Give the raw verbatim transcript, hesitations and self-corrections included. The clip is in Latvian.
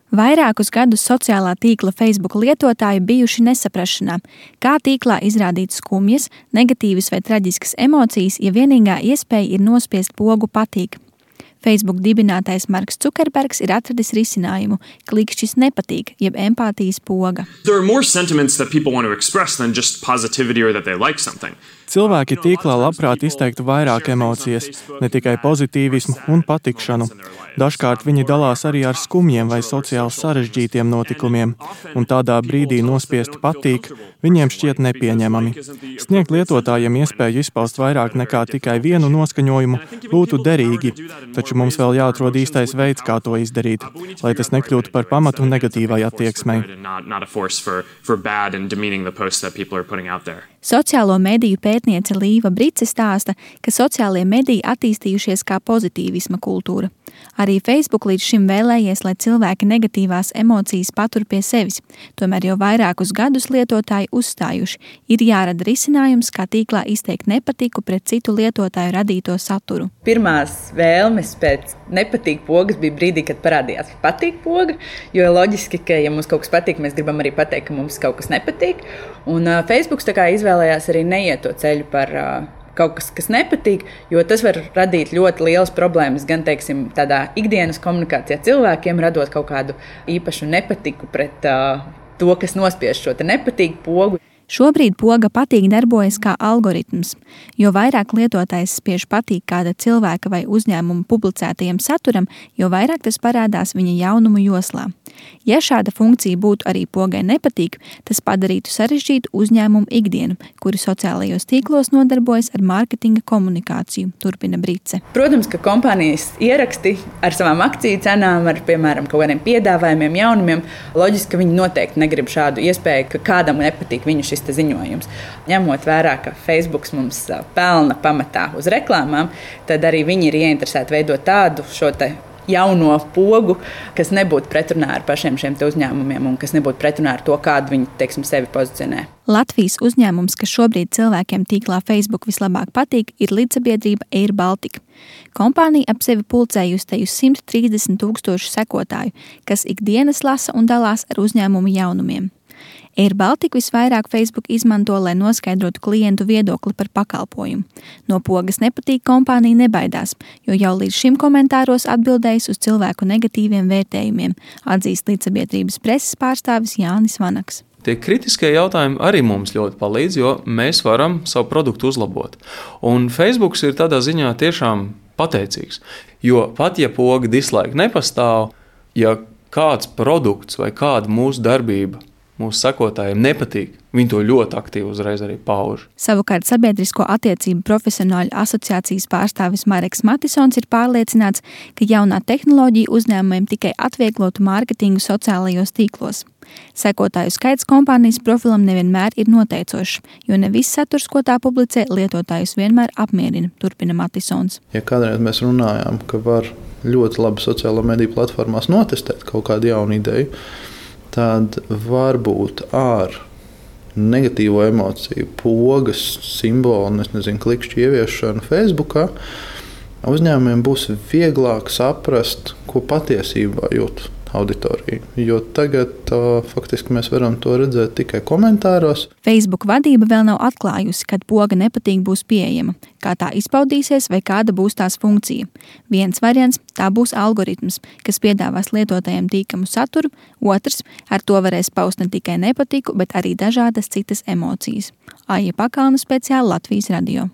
Vairākus gadus sociālā tīkla Facebook lietotāji bijuši nesaprašanā, kā tīklā izrādīt skumjas, negatīvas vai traģiskas emocijas, ja vienīgā iespēja ir nospiest pogu patīk. Facebook dibinātais Marks Cukerbergs ir atradis risinājumu – klikšķis nepatīk, jeb empātijas poga. There are more sentiments that people want to express than just positivity or that they like something. Cilvēki tīklā labprāt izteiktu vairāk emocijas, ne tikai pozitīvismu un patikšanu. Dažkārt viņi dalās arī ar skumjiem vai sociāli sarežģītiem notikumiem, un tādā brīdī nospiest patīk viņiem šķiet nepieņemami. Sniegt lietotājiem iespēju izpaust vairāk nekā tikai vienu noskaņojumu būtu derīgi, taču mums vēl jāatrod īstais veids, kā to izdarīt, lai tas nekļūtu par pamatu negatīvai attieksmei. Sociālo mediju pētniece Līva Brice stāsta, ka sociālie mediji attīstījušies kā pozitīvisma kultūra. Arī Facebook līdz šim vēlējies, lai cilvēki negatīvās emocijas patur pie sevis. Tomēr jau vairākus gadus lietotāji uzstājuši, ir jārada risinājums, kā tīklā izteikt nepatiku pret citu lietotāju radīto saturu. Pirmās vēlmes pēc nepatīk pogas bija brīdī, kad parādījās patīk poga, jo loģiski, ka ja mums kaut kas patīk, mēs gribam arī pateikt, ka mums kaut kas nepatīk. Un uh, Facebooks tā kā izvēlējās arī neiet to ceļu par uh, kaut kas, kas nepatīk, jo tas var radīt ļoti lielas problēmas gan, teiksim, tādā ikdienas komunikācijā cilvēkiem, radot kaut kādu īpašu nepatiku pret uh, to, kas nospiež šo te nepatīk pogu. Šobrīd poga patīk darbojas kā algoritms, jo vairāk lietotājs spiež patīk kāda cilvēka vai uzņēmuma publicētajam saturam, jo vairāk tas parādās viņa jaunumu joslā. Ja šāda funkcija būtu arī pogai nepatīk, tas padarītu sarežģītu uzņēmumu ikdienu, kuri sociālajos tīklos nodarbojas ar mārketinga komunikāciju, turpina Brice. Protams, ka kompānijas ieraksti ar savām akciju cenām, ar, piemēram, kaut kādiem piedāvājumiem, jaunumiem, loģiski, ka viņi noteikti negrib šādu iespēju, ka kādam nepatīk viņu šis te ziņojums. Ņemot vērā, ka Facebooks mums pelna pamatā uz reklāmām, tad arī viņi ir ieinteresēti veidot tādu šo te jauno pogu, kas nebūtu pretrunā ar pašiem šiem te uzņēmumiem un kas nebūtu pretrunā ar to, kādu viņi, teiksim, sevi pozicionē. Latvijas uzņēmums, kas šobrīd cilvēkiem tīklā Facebook vislabāk patīk, ir līdzsabiedrība Air Baltica. Kompānija ap sevi pulcējusi te uz simt trīsdesmit tūkstošu sekotāju, kas ikdienas lasa un dalās ar uzņēmumu jaunumiem. Air Baltica visvairāk Facebook izmanto, lai noskaidrotu klientu viedokli par pakalpojumu. No pogas nepatīk kompānija nebaidās, jo jau līdz šim komentāros atbildējis uz cilvēku negatīviem vērtējumiem, atzīst līdzsabiedrības preses pārstāvis Jānis Vanaks. Tie kritiskie jautājumi arī mums ļoti palīdz, jo mēs varam savu produktu uzlabot. Un Facebooks ir tādā ziņā tiešām pateicīgs, jo pat ja poga dislike nepastāv, ja kāds produkts vai kāda mūsu darbība mūsu sekotājiem nepatīk, viņi to ļoti aktīvi uzreiz arī pauž. Savukārt sabiedrisko attiecību profesionāļu asociācijas pārstāvis Mareks Matisons ir pārliecināts, ka jaunā tehnoloģija uzņēmumiem tikai atvieglotu mārketingu sociālajos tīklos. Sekotāju skaits kompānijas profilam nevienmēr ir noteicošs, jo ne viss saturs, ko tā publicē, lietotājus vienmēr apmierina, turpina Matisons. Ja kādreiz mēs runājām, ka var ļoti labi sociālo mediju platformās notestēt kaut kādu jaunu ideju, tad varbūt ar negatīvo emociju, pogas, simbolu, es nezinu, klikšķu ieviešanu Facebookā, uzņēmumiem būs vieglāk saprast, ko patiesībā jūt auditorija, jo tagad uh, faktiski mēs varam to redzēt tikai komentāros. Facebook vadība vēl nav atklājusi, kad poga nepatīk būs pieejama, kā tā izpaudīsies vai kāda būs tās funkcija. Viens variants – tā būs algoritms, kas piedāvās lietotājiem tīkamu saturu, otrs – ar to varēs paust ne tikai nepatiku, bet arī dažādas citas emocijas. Aija Pakalna, speciāli Latvijas radio.